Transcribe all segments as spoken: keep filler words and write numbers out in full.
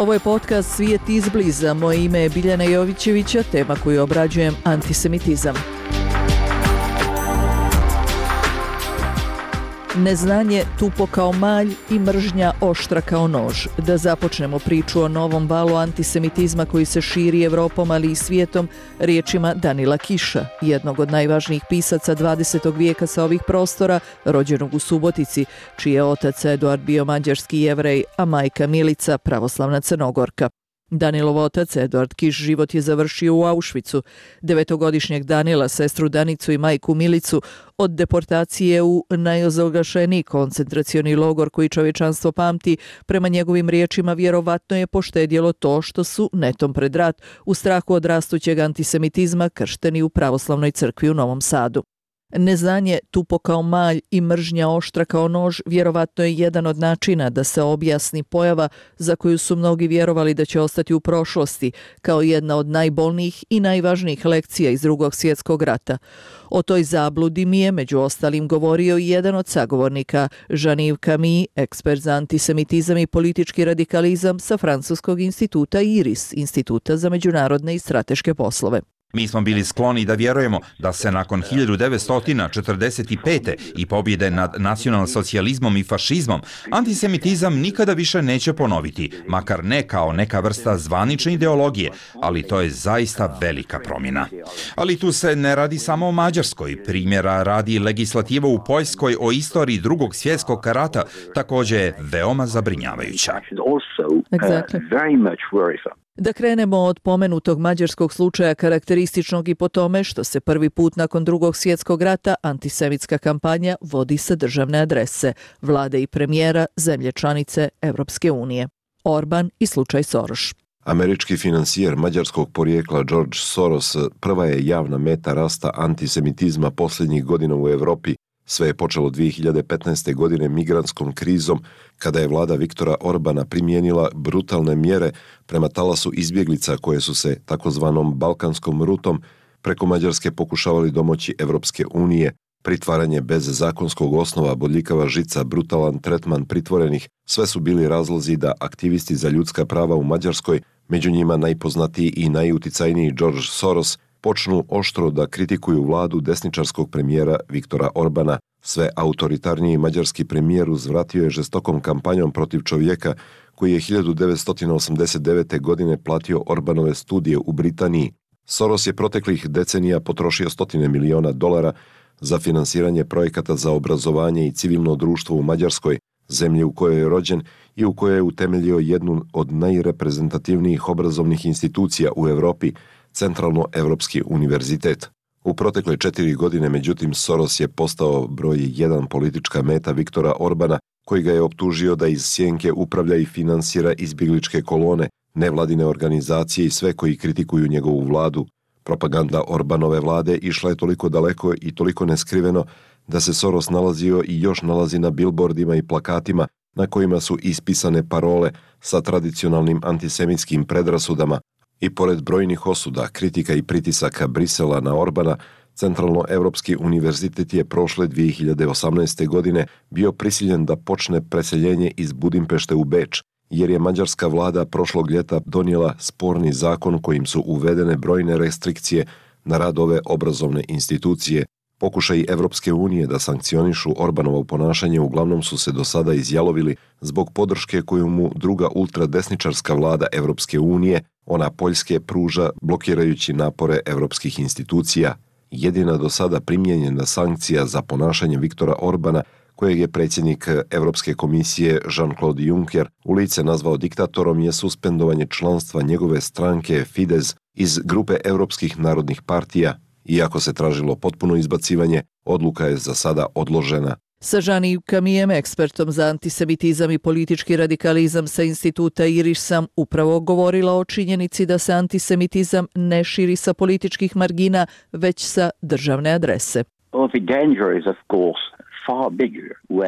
Ovo je podcast Svijet izbliza. Moje ime je Biljana Jovićevića, tema koju obrađujem antisemitizam. Neznanje tupo kao malj i mržnja oštra kao nož. Da započnemo priču o novom valu antisemitizma koji se širi Evropom, ali i svijetom, riječima Danila Kiša, jednog od najvažnijih pisaca dvadesetog vijeka sa ovih prostora, rođenog u Subotici, čiji je otac Eduard bio mađarski Jevrej, a majka Milica pravoslavna Crnogorka. Danilov otac, Eduard Kiš, život je završio u Auschwitzu. Devetogodišnjeg Danila, sestru Danicu i majku Milicu od deportacije u najozlgašeniji koncentracioni logor koji čovječanstvo pamti, prema njegovim riječima vjerovatno je poštedjelo to što su netom pred rat u strahu od rastućeg antisemitizma kršteni u pravoslavnoj crkvi u Novom Sadu. Neznanje tupo kao malj i mržnja oštra kao nož vjerovatno je jedan od načina da se objasni pojava za koju su mnogi vjerovali da će ostati u prošlosti, kao jedna od najbolnijih i najvažnijih lekcija iz Drugog svjetskog rata. O toj zabludi mi je među ostalim govorio i jedan od sagovornika, Jean-Yves Camille, ekspert za antisemitizam i politički radikalizam sa Francuskog instituta IRIS, Instituta za međunarodne i strateške poslove. Mi smo bili skloni da vjerujemo da se nakon hiljadu devetsto četrdeset pete. i pobjede nad nacionalsocijalizmom i fašizmom, antisemitizam nikada više neće ponoviti, makar ne kao neka vrsta zvanične ideologije, ali to je zaista velika promjena. Ali tu se ne radi samo o Mađarskoj. Primjera radi legislativa u Poljskoj o istoriji Drugog svjetskog rata, također je veoma zabrinjavajuća. Exactly. Da krenemo od pomenutog mađarskog slučaja, karakterističnog i po tome što se prvi put nakon Drugog svjetskog rata antisemitska kampanja vodi sa državne adrese, vlade i premijera zemlje članice Evropske unije. Orban i slučaj Soros. Američki financijer mađarskog porijekla George Soros prva je javna meta rasta antisemitizma posljednjih godina u Europi. Sve je počelo dvije hiljade petnaeste. godine migrantskom krizom, kada je vlada Viktora Orbana primijenila brutalne mjere prema talasu izbjeglica koje su se takozvanom balkanskom rutom preko Mađarske pokušavali domoći Evropske unije. Pritvaranje bez zakonskog osnova, bodljikava žica, brutalan tretman pritvorenih, sve su bili razlozi da aktivisti za ljudska prava u Mađarskoj, među njima najpoznatiji i najuticajniji George Soros, počnu oštro da kritikuju vladu desničarskog premijera Viktora Orbana. Sve autoritarniji mađarski premijer uzvratio je žestokom kampanjom protiv čovjeka koji je hiljadu devetsto osamdeset devete. godine platio Orbanove studije u Britaniji. Soros je proteklih decenija potrošio stotine miliona dolara za finansiranje projekata za obrazovanje i civilno društvo u Mađarskoj, zemlji u kojoj je rođen i u kojoj je utemeljio jednu od najreprezentativnijih obrazovnih institucija u Europi, Centralno-Evropski univerzitet. U protekle četiri godine, međutim, Soros je postao broj jedan politička meta Viktora Orbana, koji ga je optužio da iz sjenke upravlja i finansira izbjegličke kolone, nevladine organizacije i sve koji kritikuju njegovu vladu. Propaganda Orbanove vlade išla je toliko daleko i toliko neskriveno da se Soros nalazio i još nalazi na bilbordima i plakatima na kojima su ispisane parole sa tradicionalnim antisemitskim predrasudama. I pored brojnih osuda, kritika i pritisaka Brisela na Orbana, Centralno-Evropski univerzitet je prošle dvije hiljade osamnaeste. godine bio prisiljen da počne preseljenje iz Budimpešte u Beč, jer je mađarska vlada prošlog ljeta donijela sporni zakon kojim su uvedene brojne restrikcije na rad ove obrazovne institucije. Pokušaji Evropske unije da sankcionišu Orbanovo ponašanje uglavnom su se do sada izjalovili zbog podrške koju mu druga ultradesničarska vlada Evropske unije, ona Poljske, pruža blokirajući napore evropskih institucija. Jedina do sada primijenjena sankcija za ponašanje Viktora Orbana, kojeg je predsjednik Evropske komisije Jean-Claude Juncker u lice nazvao diktatorom, je suspendovanje članstva njegove stranke Fidesz iz grupe europskih narodnih partija. Iako se tražilo potpuno izbacivanje, odluka je za sada odložena. Sa Jean-Yves Camillejem, ekspertom za antisemitizam i politički radikalizam sa instituta IRIS, sam upravo govorila o činjenici da se antisemitizam ne širi sa političkih margina, već sa državne adrese. Well, the danger is, of course,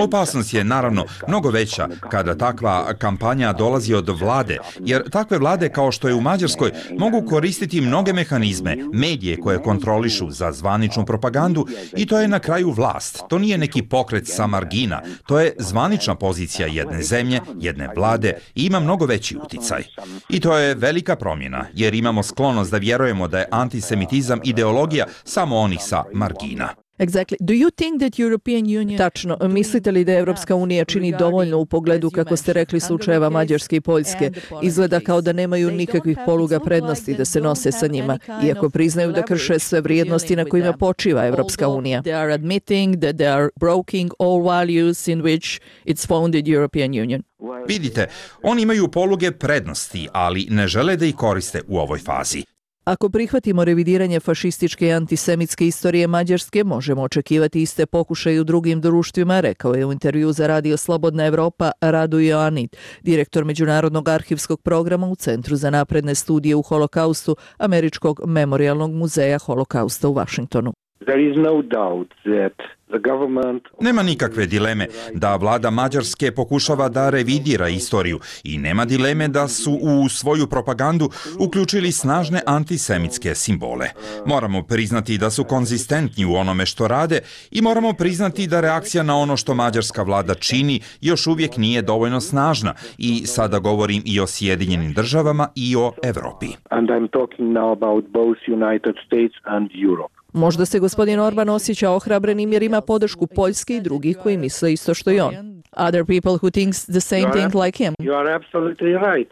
Opasnost je naravno mnogo veća kada takva kampanja dolazi od vlade, jer takve vlade kao što je u Mađarskoj mogu koristiti mnoge mehanizme, medije koje kontrolišu za zvaničnu propagandu i to je na kraju vlast. To nije neki pokret sa margina, to je zvanična pozicija jedne zemlje, jedne vlade i ima mnogo veći uticaj. I to je velika promjena, jer imamo sklonost da vjerujemo da je antisemitizam ideologija samo onih sa margina. Exactly. Do you think that European Union... Tačno. Mislite li da Evropska unija čini dovoljno u pogledu, kako ste rekli, slučajeva Mađarske i Poljske? Izgleda kao da nemaju nikakvih poluga prednosti da se nose sa njima, iako priznaju da krše sve vrijednosti na kojima počiva Evropska unija. They are admitting that they are breaking all values in which it's founded European Union. Vidite, oni imaju poluge prednosti, ali ne žele da ih koriste u ovoj fazi. Ako prihvatimo revidiranje fašističke i antisemitske istorije Mađarske, možemo očekivati iste pokušaje u drugim društvima, rekao je u intervju za Radio Slobodna Evropa Radu Ioannid, direktor Međunarodnog arhivskog programa u Centru za napredne studije u holokaustu Američkog memorijalnog muzeja holokausta u Vašingtonu. There is no doubt that the government... Nema nikakve dileme da vlada Mađarske pokušava da revidira istoriju i nema dileme da su u svoju propagandu uključili snažne antisemitske simbole. Moramo priznati da su konzistentni u onome što rade i moramo priznati da reakcija na ono što mađarska vlada čini još uvijek nije dovoljno snažna i sada govorim i o Sjedinjenim državama i o Evropi. And I'm talking now about both United States and Europe. Možda se gospodin Orban osjeća ohrabrenim jer ima podršku Poljske i drugih koji misle isto što i on. Other people who thinks the same thing like him. You are absolutely right.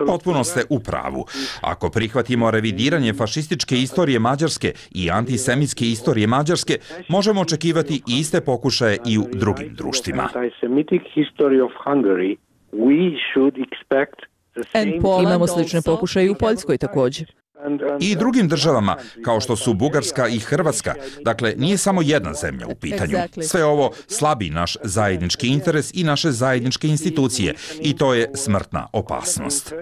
Potpuno ste u pravu. Ako prihvatimo revidiranje fašističke istorije Mađarske i antisemitske istorije Mađarske, možemo očekivati iste pokušaje i u drugim društvima. Imamo slične pokušaje i u Poljskoj također. I drugim državama, kao što su Bugarska i Hrvatska. Dakle, nije samo jedna zemlja u pitanju. Sve ovo slabi naš zajednički interes i naše zajedničke institucije i to je smrtna opasnost.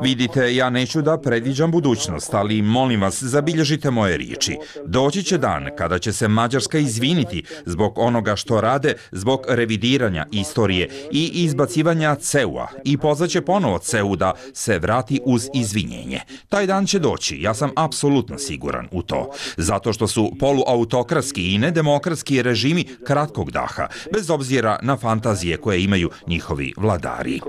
Vidite, ja neću da predviđam budućnost, ali molim vas, zabilježite moje riječi. Doći će dan kada će se Mađarska izviniti zbog onoga što rade, zbog revidiranja istorije i izbacivanja C E U-a i pozvaće ponovo C E U da se vrati uz izvinjenje. Taj dan će doći. Ja sam apsolutno siguran u to. Zato što su poluautokratski i nedemokratski režimi kratkog daha, bez obzira na fantazije koje imaju njihovi vladari.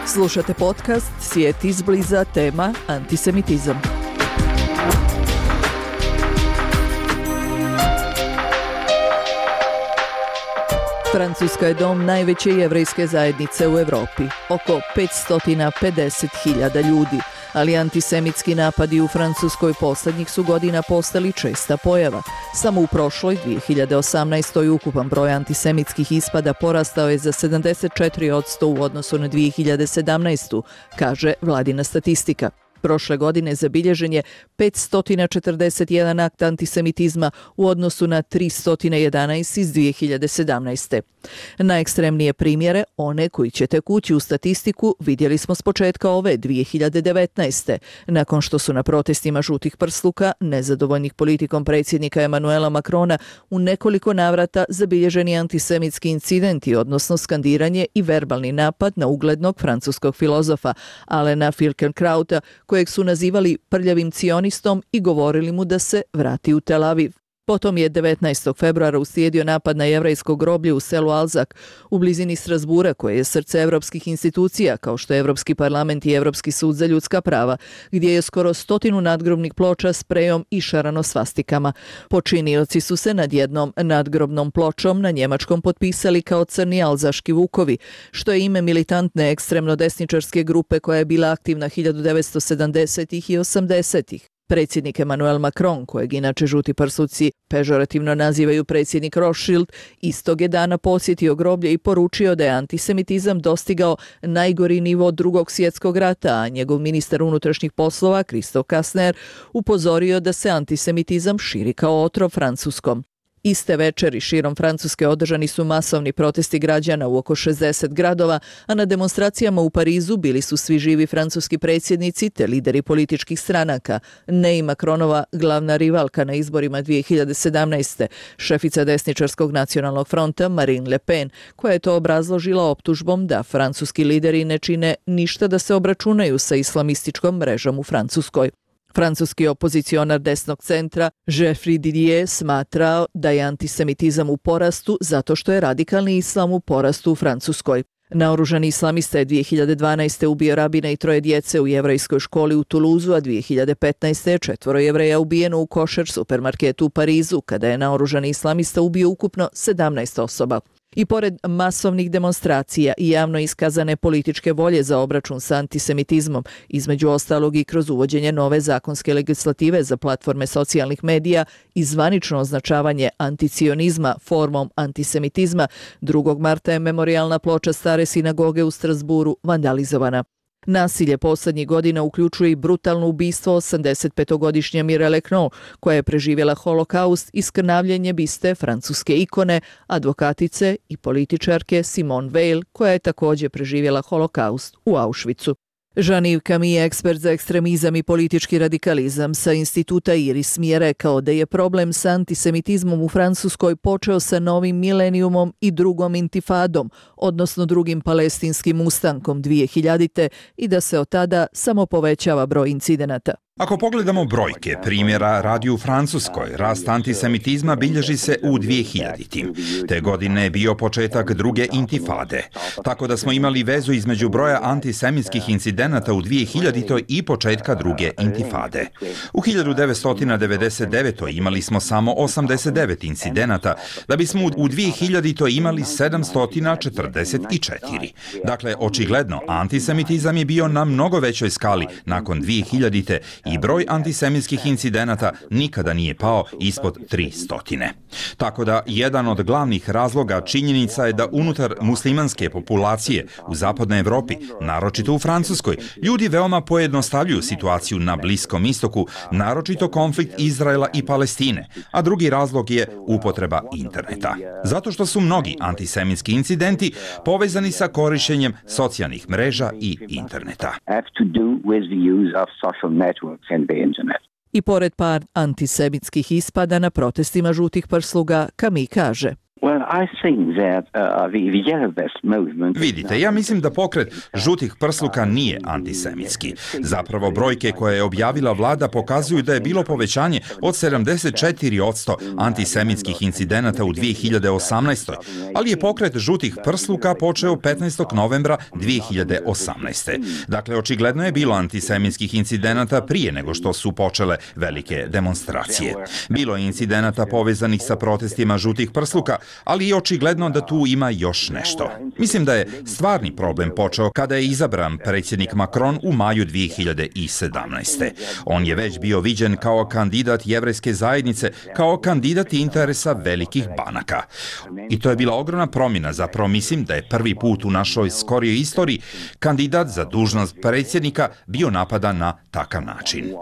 Slušate podcast Svijet izbliza, tema antisemitizam. Francuska je dom najveće jevrejske zajednice u Evropi, oko petsto pedeset hiljada ljudi, ali antisemitski napadi u Francuskoj posljednjih su godina postali česta pojava. Samo u prošloj dvije hiljade osamnaestoj ukupan broj antisemitskih ispada porastao je za sedamdeset četiri posto u odnosu na dvije hiljade sedamnaestu, kaže vladina statistika. Prošle godine zabilježen je petsto četrdeset jedan akt antisemitizma u odnosu na tristo jedanaest iz dvije hiljade sedamnaeste. Najekstremnije primjere, one koji će tek ući u statistiku, vidjeli smo s početka ove dvije hiljade devetnaeste. Nakon što su na protestima žutih prsluka, nezadovoljnih politikom predsjednika Emanuela Macrona, u nekoliko navrata zabilježeni antisemitski incidenti, odnosno skandiranje i verbalni napad na uglednog francuskog filozofa Alena Finkielkrauta, kojeg su nazivali prljavim cionistom i govorili mu da se vrati u Tel Aviv. Potom je devetnaestog februara uslijedio napad na jevrejsko groblje u selu Alzak u blizini Strasbura, koje je srce evropskih institucija, kao što je Evropski parlament i Evropski sud za ljudska prava, gdje je skoro stotinu nadgrobnih ploča sprejom išarano svastikama. Počinioci su se nad jednom nadgrobnom pločom na njemačkom potpisali kao crni alzaški vukovi, što je ime militantne ekstremno desničarske grupe koja je bila aktivna hiljadu devetsto sedamdesetih i osamdesetih. Predsjednik Emmanuel Macron, kojeg inače žuti prsuci pežorativno nazivaju predsjednik Rothschild, istog je dana posjetio groblje i poručio da je antisemitizam dostigao najgori nivo drugog svjetskog rata, a njegov ministar unutrašnjih poslova, Christophe Castaner, upozorio da se antisemitizam širi kao otrov Francuskom. Iste večeri širom Francuske održani su masovni protesti građana u oko šezdeset gradova, a na demonstracijama u Parizu bili su svi živi francuski predsjednici te lideri političkih stranaka. Ne i Macronova glavna rivalka na izborima dvije hiljade sedamnaeste. šefica desničarskog nacionalnog fronta Marine Le Pen, koja je to obrazložila optužbom da francuski lideri ne čine ništa da se obračunaju sa islamističkom mrežom u Francuskoj. Francuski opozicionar desnog centra Geoffroy Didier smatrao da je antisemitizam u porastu zato što je radikalni islam u porastu u Francuskoj. Naoružani islamista je dvije hiljade dvanaeste. ubio rabina i troje djece u jevrejskoj školi u Tuluzu, a dvije hiljade petnaeste. je četvoro Jevreja ubijeno u košer supermarketu u Parizu, kada je naoružani islamista ubio ukupno sedamnaest osoba. I pored masovnih demonstracija i javno iskazane političke volje za obračun sa antisemitizmom, između ostalog i kroz uvođenje nove zakonske legislative za platforme socijalnih medija i zvanično označavanje anticionizma formom antisemitizma, drugog marta je memorijalna ploča stare sinagoge u Strasburu vandalizovana. Nasilje poslednjih godina uključuje i brutalno ubistvo osamdesetpetogodišnje Mireille Knol, koja je preživjela holokaust i skrnavljenje biste francuske ikone, advokatice i političarke Simone Veil, koja je također preživjela holokaust u Auschwitzu. Jean-Yves Camille, ekspert za ekstremizam i politički radikalizam sa instituta IRIS, mi je rekao da je problem sa antisemitizmom u Francuskoj počeo sa novim milenijumom i drugom intifadom, odnosno drugim palestinskim ustankom dvije hiljadite i da se od tada samo povećava broj incidenata. Ako pogledamo brojke, primjera radi u Francuskoj, rast antisemitizma bilježi se u dvije hiljadite. Te godine je bio početak druge intifade, tako da smo imali vezu između broja antisemitskih incidenata u dvije hiljadite. i početka druge intifade. U hiljadu devetsto devedeset devetoj. imali smo samo osamdeset devet incidenata, da bismo u dvije hiljadite. imali sedamsto četrdeset četiri. Dakle, očigledno, antisemitizam je bio na mnogo većoj skali nakon dvije hiljadite. i broj antisemitskih incidenata nikada nije pao ispod tristo. Tako da, jedan od glavnih razloga činjenica je da unutar muslimanske populacije u zapadnoj Evropi, naročito u Francuskoj, ljudi veoma pojednostavljuju situaciju na Bliskom istoku, naročito konflikt Izraela i Palestine, a drugi razlog je upotreba interneta. Zato što su mnogi antisemitski incidenti povezani sa korišćenjem socijalnih mreža i interneta. I pored par antisemitskih ispada na protestima žutih prsluga, Camille kaže: Vidite, ja mislim da pokret žutih prsluka nije antisemitski. Zapravo, brojke koje je objavila vlada pokazuju da je bilo povećanje od sedamdeset četiri posto antisemitskih incidenata u dvije hiljade osamnaestoj. ali je pokret žutih prsluka počeo petnaestog novembra dvije hiljade osamnaeste. Dakle, očigledno je bilo antisemitskih incidenata prije nego što su počele velike demonstracije. Bilo je incidenata povezanih sa protestima žutih prsluka, ali je očigledno da tu ima još nešto. Mislim da je stvarni problem počeo kada je izabran predsjednik Macron u maju dvije hiljade sedamnaeste. On je već bio viđen kao kandidat jevrejske zajednice, kao kandidat interesa velikih banaka. I to je bila ogromna promjena, zapravo mislim da je prvi put u našoj skorijoj istoriji kandidat za dužnost predsjednika bio napadan na takav način.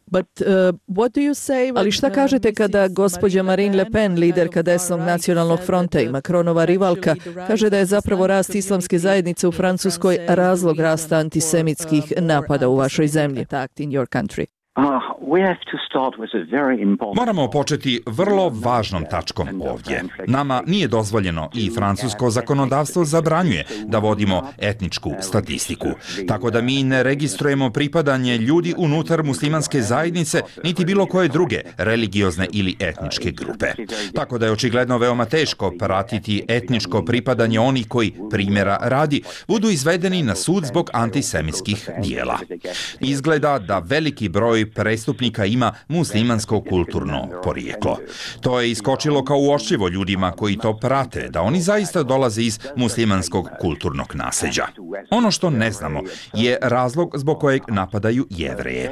But, uh, what do you say? Ali šta kažete kada gospođa Marine Le Pen, liderka desnog nacionalnog fronta i Macronova rivalka, kaže da je zapravo rast islamske zajednice u Francuskoj razlog rasta antisemitskih napada u vašoj zemlji? Moramo početi vrlo važnom tačkom ovdje. Nama nije dozvoljeno i francusko zakonodavstvo zabranjuje da vodimo etničku statistiku. Tako da mi ne registrujemo pripadanje ljudi unutar muslimanske zajednice niti bilo koje druge religiozne ili etničke grupe. Tako da je očigledno veoma teško pratiti etničko pripadanje onih koji, primjera radi, budu izvedeni na sud zbog antisemitskih dijela. Izgleda da veliki broj prestupnika ima muslimansko kulturno porijeklo. To je iskočilo kao uočljivo ljudima koji to prate, da oni zaista dolaze iz muslimanskog kulturnog nasljeđa. Ono što ne znamo je razlog zbog kojeg napadaju Jevreje.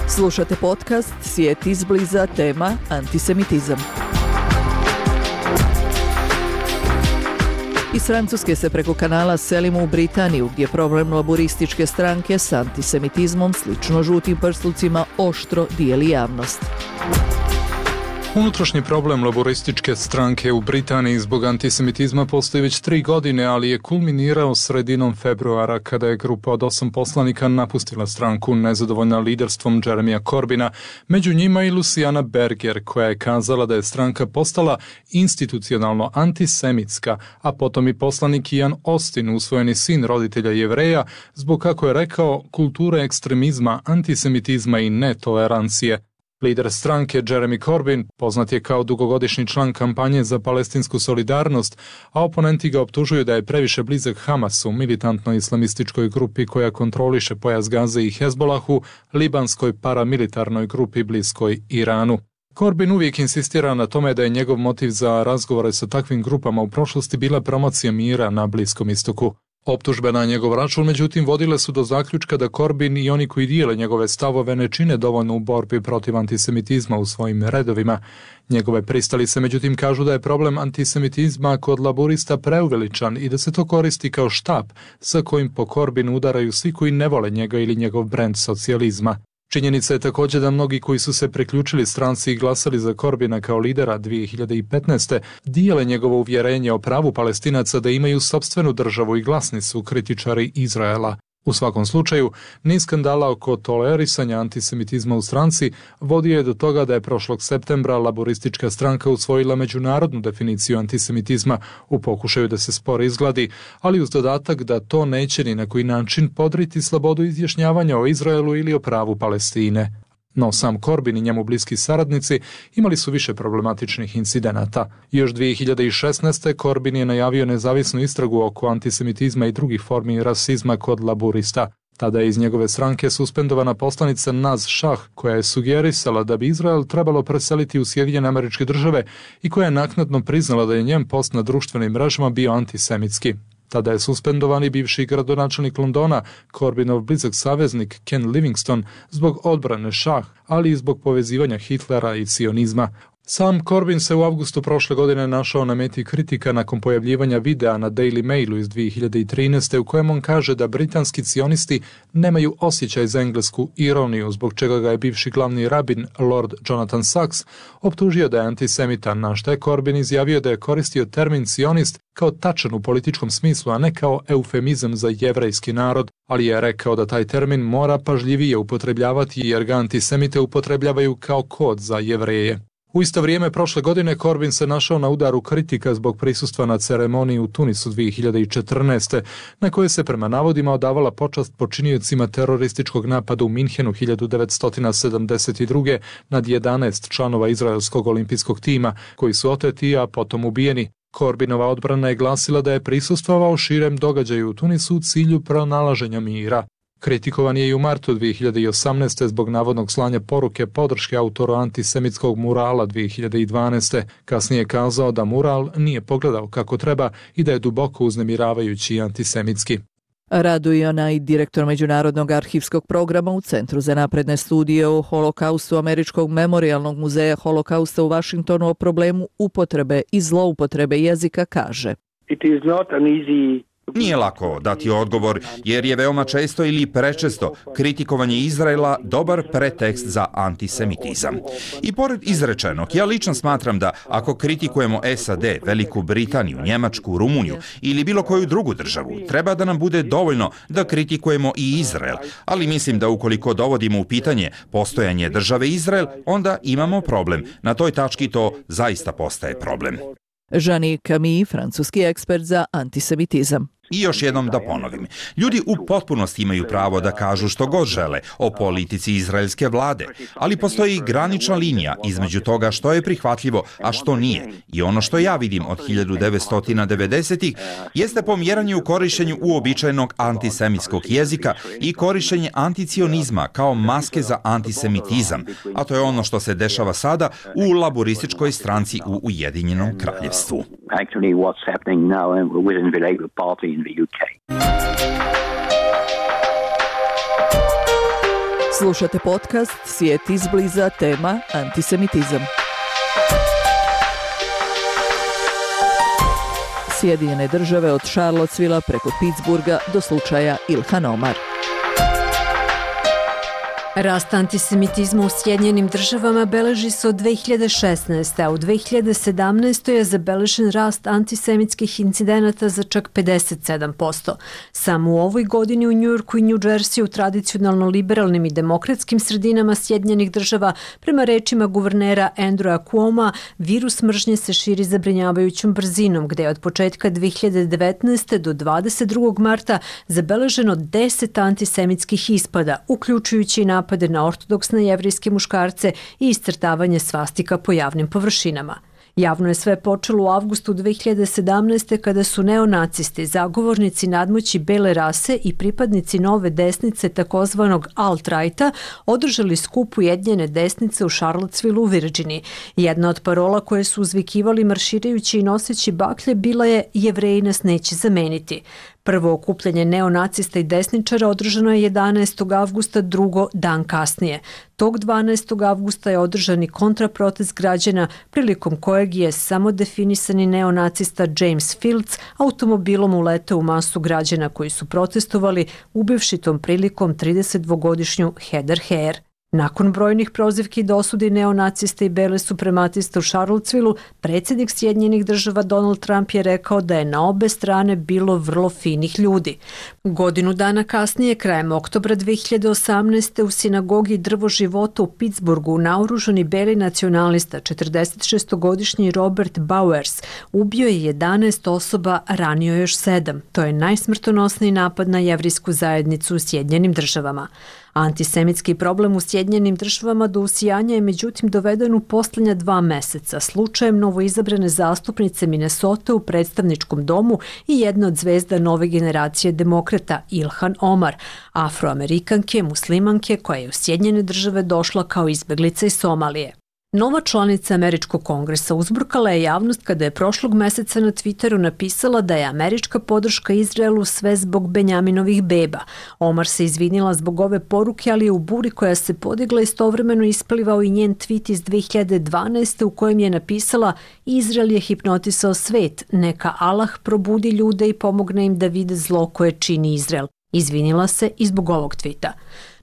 Slušate podcast Svijet izbliza, tema antisemitizam. Iz Francuske se preko kanala selimo u Britaniju, gdje problem laborističke stranke s antisemitizmom, slično žutim prslucima, oštro dijeli javnost. Unutrašnji problem laborističke stranke u Britaniji zbog antisemitizma postoji već tri godine, ali je kulminirao sredinom februara kada je grupa od osam poslanika napustila stranku nezadovoljna liderstvom Jeremija Corbina, među njima i Luciana Berger, koja je kazala da je stranka postala institucionalno antisemitska, a potom i poslanik Ian Austin, usvojeni sin roditelja Jevreja, zbog, kako je rekao, kulture ekstremizma, antisemitizma i netolerancije. Lider stranke Jeremy Corbyn poznat je kao dugogodišnji član kampanje za palestinsku solidarnost, a oponenti ga optužuju da je previše blizak Hamasu, militantnoj islamističkoj grupi koja kontroliše pojas Gaze i Hezbolahu, libanskoj paramilitarnoj grupi bliskoj Iranu. Corbyn uvijek insistira na tome da je njegov motiv za razgovore sa takvim grupama u prošlosti bila promocija mira na Bliskom istoku. Optužbe na njegov račun, međutim, vodile su do zaključka da Corbyn i oni koji dijele njegove stavove ne čine dovoljno u borbi protiv antisemitizma u svojim redovima. Njegove pristalice, međutim, kažu da je problem antisemitizma kod laborista preuveličan i da se to koristi kao štap sa kojim po Corbynu udaraju svi koji ne vole njega ili njegov brend socijalizma. Činjenica je također da mnogi koji su se priključili stranci i glasali za Corbina kao lidera dvije hiljade petnaeste. dijele njegovo uvjerenje o pravu Palestinaca da imaju sopstvenu državu i glasni su kritičari Izraela. U svakom slučaju, niz skandala oko tolerisanja antisemitizma u stranci vodio je do toga da je prošlog septembra laboristička stranka usvojila međunarodnu definiciju antisemitizma u pokušaju da se spor izgladi, ali uz dodatak da to neće ni na koji način podriti slobodu izjašnjavanja o Izraelu ili o pravu Palestine. No sam Corbyn i njemu bliski saradnici imali su više problematičnih incidenata. Još dvije hiljade šesnaeste. Corbyn je najavio nezavisnu istragu oko antisemitizma i drugih formi rasizma kod laborista. Tada je iz njegove stranke suspendovana poslanica Naz Shah, koja je sugerisala da bi Izrael trebalo preseliti u Sjedinjene Američke Države i koja je naknadno priznala da je njen post na društvenim mrežama bio antisemitski. Tada je suspendovani bivši gradonačelnik Londona, Corbynov blizak saveznik Ken Livingstone, zbog odbrane Shah, ali i zbog povezivanja Hitlera i sionizma. Sam Corbyn se u avgustu prošle godine našao na meti kritika nakon pojavljivanja videa na Daily Mailu iz dvije hiljade trinaeste. u kojem on kaže da britanski cionisti nemaju osjećaj za englesku ironiju, zbog čega ga je bivši glavni rabin Lord Jonathan Sacks optužio da je antisemitan, na što je Corbyn izjavio da je koristio termin cionist kao tačan u političkom smislu, a ne kao eufemizam za jevrejski narod, ali je rekao da taj termin mora pažljivije upotrebljavati jer ga antisemite upotrebljavaju kao kod za Jevreje. U isto vrijeme prošle godine Corbyn se našao na udaru kritika zbog prisustva na ceremoniji u Tunisu dvije hiljade četrnaeste. na kojoj se prema navodima odavala počast počiniocima terorističkog napada u Minhenu hiljadu devetsto sedamdeset druge. nad jedanaest članova izraelskog olimpijskog tima, koji su oteti, a potom ubijeni. Corbynova odbrana je glasila da je prisustvovao širem događaju u Tunisu u cilju pronalaženja mira. Kritikovan je i u martu dvije hiljade osamnaeste. zbog navodnog slanja poruke podrške autoru antisemitskog murala dvije hiljade dvanaeste. Kasnije je kazao da mural nije pogledao kako treba i da je duboko uznemiravajući i antisemitski. Raduje onaj direktor Međunarodnog arhivskog programa u Centru za napredne studije o holokaustu Američkog memorijalnog muzeja holokausta u Vašingtonu o problemu upotrebe i zloupotrebe jezika kaže: It is not an easy Nije lako dati odgovor, jer je veoma često ili prečesto kritikovanje Izraela dobar pretekst za antisemitizam. I pored izrečenog, ja lično smatram da ako kritikujemo S A D, Veliku Britaniju, Njemačku, Rumuniju ili bilo koju drugu državu, treba da nam bude dovoljno da kritikujemo i Izrael, ali mislim da ukoliko dovodimo u pitanje postojanje države Izrael, onda imamo problem. Na toj tački to zaista postaje problem. Jean Camille, francuski ekspert za antisemitizam. I još jednom da ponovim, ljudi u potpunosti imaju pravo da kažu što god žele o politici izraelske vlade, ali postoji granična linija između toga što je prihvatljivo, a što nije. I ono što ja vidim od hiljadu devetsto devedesetih jeste pomjeranje u korištenju uobičajenog antisemitskog jezika i korištenje anticionizma kao maske za antisemitizam, a to je ono što se dešava sada u laborističkoj stranci u Ujedinjenom kraljevstvu. Actually, what's happening now within the Labour Party in the U K. Slušate podcast Svijet izbliza, tema antisemitizam. Sjedinjene države od Charlottesvilla preko Pittsburgha do slučaja Ilhan Omar. Rast antisemitizma u Sjedinjenim državama beleži se od dve hiljade šesnaeste. a u dve hiljade sedamnaestoj je zabeležen rast antisemitskih incidenata za čak pedeset sedam posto. Samo u ovoj godini u Njujorku i New Jersey u tradicionalno liberalnim i demokratskim sredinama Sjedinjenih država, prema rečima guvernera Andrewa Cuoma, virus mržnje se širi zabrinjavajućom brzinom, gde je od početka dve hiljade devetnaeste. do dvadeset drugog marta zabeleženo deset antisemitskih ispada, uključujući i napade na ortodoksne jevrijske muškarce i iscrtavanje svastika po javnim površinama. Javno je sve počelo u avgustu dve hiljade sedamnaeste. kada su neonacisti, zagovornici nadmoći bele rase i pripadnici nove desnice takozvanog alt-righta održali skup Ujedinjene desnice u Charlottesvillu u Virginiji. Jedna od parola koje su uzvikivali marširajući i noseći baklje bila je "Jevreji nas neće zameniti". Prvo okupljanje neonacista i desničara održano je jedanaestog avgusta, drugo dan kasnije. Tog dvanaestog avgusta je održan i kontraprotest građana, prilikom kojeg je samo definisani neonacista James Fields automobilom uleteo u masu građana koji su protestovali, ubivši tom prilikom tridesetdvogodišnju Heather Heyer. Nakon brojnih prozivki i dosudi neonacista i bele suprematiste u Charlottesvillu, predsjednik Sjedinjenih država Donald Trump je rekao da je na obe strane bilo vrlo finih ljudi. Godinu dana kasnije, krajem oktobra dve hiljade osamnaeste. u sinagogi Drvo života u Pittsburghu naoružani beli nacionalista, četrdesetšestogodišnji Robert Bowers, ubio je jedanaest osoba, ranio još sedam. To je najsmrtonosniji napad na jevrijsku zajednicu u Sjedinjenim državama. Antisemitski problem u Sjedinjenim državama do usijanja je međutim doveden u posljednja dva meseca slučajem novoizabrane zastupnice Minnesota u predstavničkom domu i jedna od zvezda nove generacije demokrata Ilhan Omar, afroamerikanke, muslimanke koja je u Sjedinjene države došla kao izbeglica iz Somalije. Nova članica Američkog kongresa uzburkala je javnost kada je prošlog meseca na Twitteru napisala da je američka podrška Izraelu sve zbog Benjaminovih beba. Omar se izvinila zbog ove poruke, ali je u buri koja se podigla istovremeno isplivao i njen tweet iz dve hiljade dvanaeste. u kojem je napisala: "Izrael je hipnotisao svet, neka Allah probudi ljude i pomogne im da vide zlo koje čini Izrael." Izvinila se i zbog ovog tvita.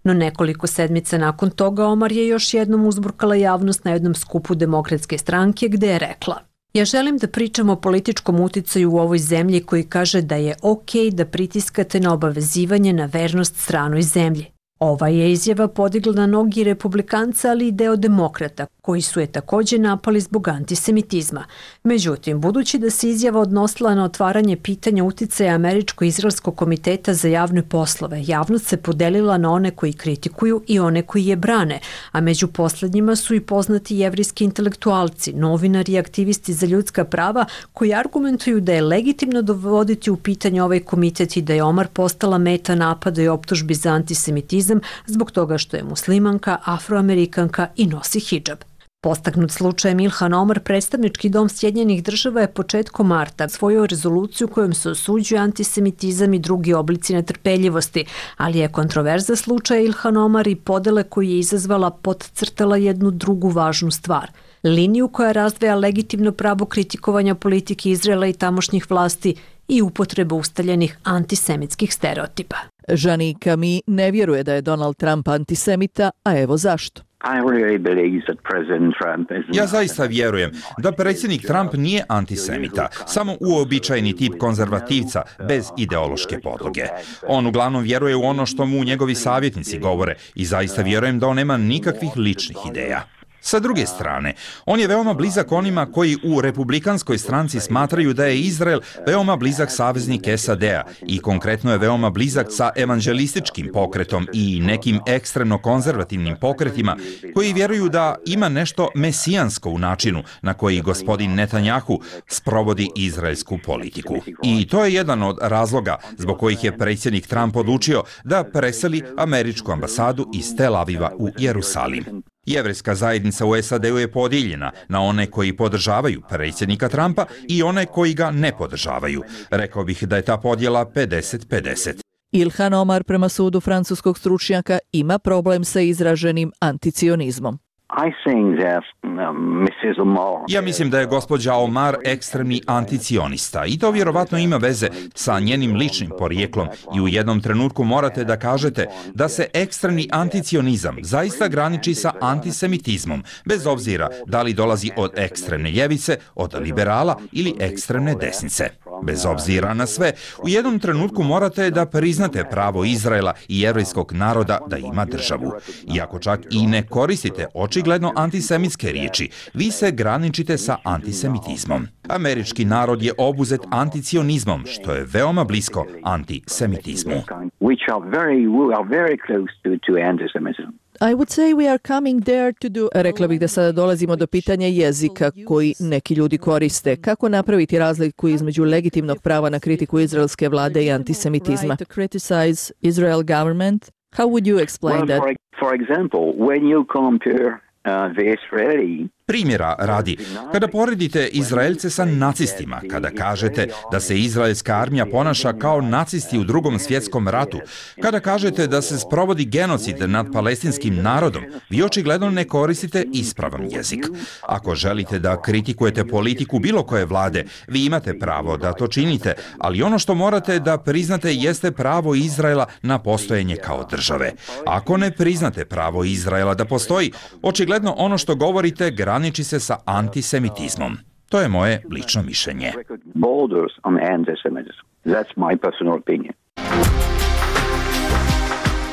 No nekoliko sedmica nakon toga Omar je još jednom uzburkala javnost na jednom skupu Demokratske stranke gde je rekla: "Ja želim da pričam o političkom uticaju u ovoj zemlji koji kaže da je okej da pritiskate na obavezivanje na vernost stranoj zemlji." Ova je izjava podigla na nogi republikanca, ali i deo demokrata, koji su je također napali zbog antisemitizma. Međutim, budući da se izjava odnosila na otvaranje pitanja uticaja Američko-izraelskog komiteta za javne poslove, javnost se podelila na one koji kritikuju i one koji je brane, a među poslednjima su i poznati jevrijski intelektualci, novinari i aktivisti za ljudska prava koji argumentuju da je legitimno dovoditi u pitanje ovaj komitet i da je Omar postala meta napada i optužbi za antisemitizam zbog toga što je muslimanka, afroamerikanka i nosi hidžab. Postaknut slučajem Ilhan Omar, predstavnički dom Sjedinjenih država je početkom marta svojio rezoluciju kojom se osuđuje antisemitizam i drugi oblici netrpeljivosti, ali je kontroverza slučaja Ilhan Omar i podele koju je izazvala podcrtala jednu drugu važnu stvar. Liniju koja razdvaja legitimno pravo kritikovanja politike Izraela i tamošnjih vlasti i upotreba ustaljenih antisemitskih stereotipa. Žani Kami ne vjeruje da je Donald Trump antisemita, a evo zašto. Ja zaista vjerujem da predsjednik Trump nije antisemita, samo uobičajeni tip konzervativca bez ideološke podloge. On uglavnom vjeruje u ono što mu njegovi savjetnici govore i zaista vjerujem da on nema nikakvih ličnih ideja. Sa druge strane, on je veoma blizak onima koji u republikanskoj stranci smatraju da je Izrael veoma blizak saveznik S A D-a i konkretno je veoma blizak sa evanđelističkim pokretom i nekim ekstremno konzervativnim pokretima koji vjeruju da ima nešto mesijansko u načinu na koji gospodin Netanjahu sprovodi izraelsku politiku. I to je jedan od razloga zbog kojih je predsjednik Trump odlučio da preseli američku ambasadu iz Tel Aviva u Jerusalim. Jevrejska zajednica u S A D-u je podijeljena na one koji podržavaju predsjednika Trumpa i one koji ga ne podržavaju. Rekao bih da je ta podjela pedeset pedeset. Ilhan Omar prema sudu francuskog stručnjaka ima problem sa izraženim anticionizmom. Ja mislim da je gospođa Omar ekstremni anticionista i to vjerovatno ima veze sa njenim ličnim porijeklom i u jednom trenutku morate da kažete da se ekstremni anticionizam zaista graniči sa antisemitizmom, bez obzira da li dolazi od ekstremne ljevice, od liberala ili ekstremne desnice. Bez obzira na sve, u jednom trenutku morate da priznate pravo Izraela i jevrejskog naroda da ima državu. Iako čak i ne koristite očigledno antisemitske riječi, vi se graničite sa antisemitizmom. Američki narod je obuzet anticionizmom, što je veoma blisko antisemitizmu. I would say we are coming there to do... Rekla bih da sada dolazimo do pitanja jezika koji neki ljudi koriste. Kako napraviti razliku između legitimnog prava na kritiku izraelske vlade i antisemitizma? To criticize Israel government? How would you explain that? For example, when you compare uh, the Israeli Primjera radi, kada poredite Izraelce sa nacistima, kada kažete da se izraelska armija ponaša kao nacisti u drugom svjetskom ratu, kada kažete da se sprovodi genocid nad palestinskim narodom, vi očigledno ne koristite ispravan jezik. Ako želite da kritikujete politiku bilo koje vlade, vi imate pravo da to činite, ali ono što morate da priznate jeste pravo Izraela na postojanje kao države. Ako ne priznate pravo Izraela da postoji, očigledno ono što govorite graniči se sa antisemitizmom. To je moje lično mišljenje.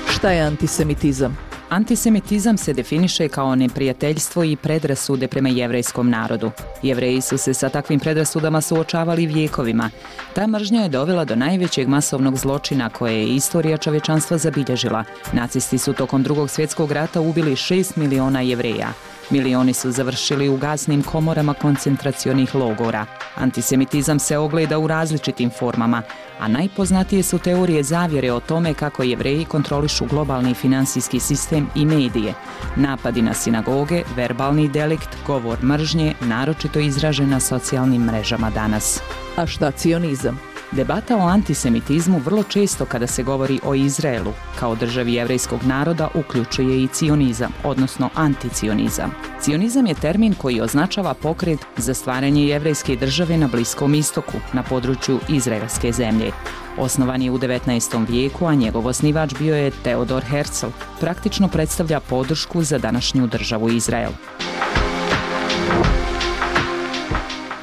Šta je antisemitizam? Antisemitizam se definiše kao neprijateljstvo i predrasude prema jevrejskom narodu. Jevreji su se sa takvim predrasudama suočavali vjekovima. Ta mržnja je dovela do najvećeg masovnog zločina koje je istorija čovječanstva zabilježila. Nacisti su tokom Drugog svjetskog rata ubili šest miliona Jevreja. Milioni su završili u gasnim komorama koncentracionih logora. Antisemitizam se ogleda u različitim formama, a najpoznatije su teorije zavjere o tome kako Jevreji kontrolišu globalni finansijski sistem i medije. Napadi na sinagoge, verbalni delikt, govor mržnje, naročito izražen na socijalnim mrežama danas. A šta cionizam? Debata o antisemitizmu vrlo često kada se govori o Izraelu kao državi jevrejskog naroda uključuje i cionizam, odnosno anticionizam. Cionizam je termin koji označava pokret za stvaranje jevrejske države na Bliskom istoku, na području izraelske zemlje. Osnovan je u devetnaestom vijeku, a njegov osnivač bio je Theodor Herzl. Praktično predstavlja podršku za današnju državu Izrael.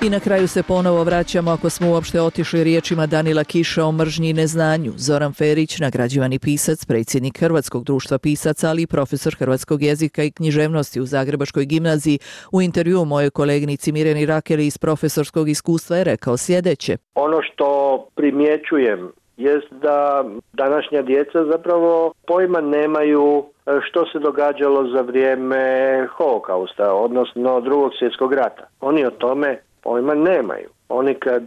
I na kraju se ponovo vraćamo, ako smo uopšte otišli, riječima Danila Kiša o mržnji i neznanju. Zoran Ferić, nagrađivani pisac, predsjednik Hrvatskog društva pisaca, ali i profesor hrvatskog jezika i književnosti u Zagrebačkoj gimnaziji, u intervjuu mojoj kolegnici Mirjani Rakeli iz profesorskog iskustva je rekao sljedeće. Ono što primjećujem jest da današnja djeca zapravo pojma nemaju što se događalo za vrijeme Holokausta, odnosno Drugog svjetskog rata. Oni o tome pojma nemaju. Oni kad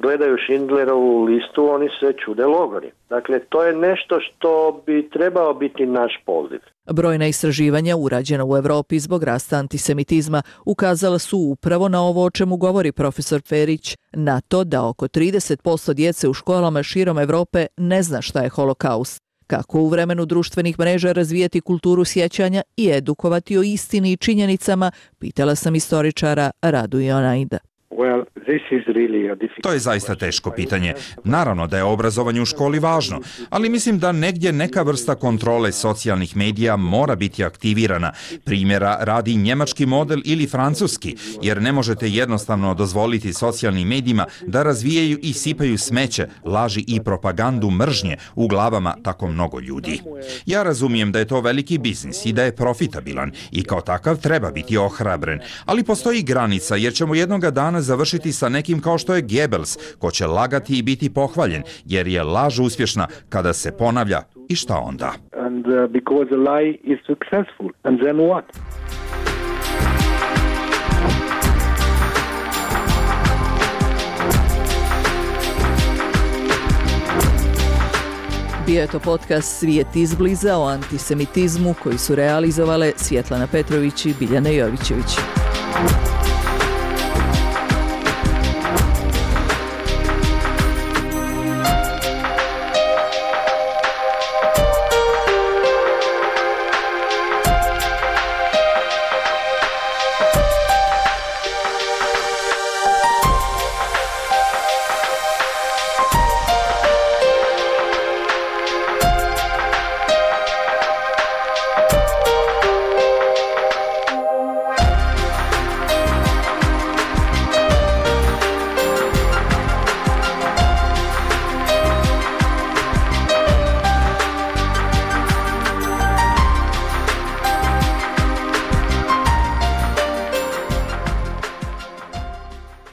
gledaju Schindlerovu listu, oni se čude logori. Dakle, to je nešto što bi trebao biti naš poziv. Brojna istraživanja urađena u Europi zbog rasta antisemitizma ukazala su upravo na ovo o čemu govori profesor Ferić, na to da oko trideset posto djece u školama širom Europe ne zna šta je holokaust. Kako u vremenu društvenih mreža razvijati kulturu sjećanja i edukovati o istini i činjenicama, pitala sam istoričara Radu Ionajda. Well, this is really a difficult... To je zaista teško pitanje. Naravno da je obrazovanje u školi važno, ali mislim da negdje neka vrsta kontrole socijalnih medija mora biti aktivirana. Primjera radi njemački model ili francuski, jer ne možete jednostavno dozvoliti socijalnim medijima da razvijaju i sipaju smeće, laži i propagandu mržnje u glavama tako mnogo ljudi. Ja razumijem da je to veliki biznis i da je profitabilan i kao takav treba biti ohrabren, ali postoji granica jer ćemo jednoga dana završiti sa nekim kao što je Goebbels, ko će lagati i biti pohvaljen, jer je laž uspješna kada se ponavlja. I šta onda? And uh, because a lie is successful. And then what? Bio je to podcast Svijet izbliza o antisemitizmu koji su realizovale Svjetlana Petrović i Biljana Jovićević.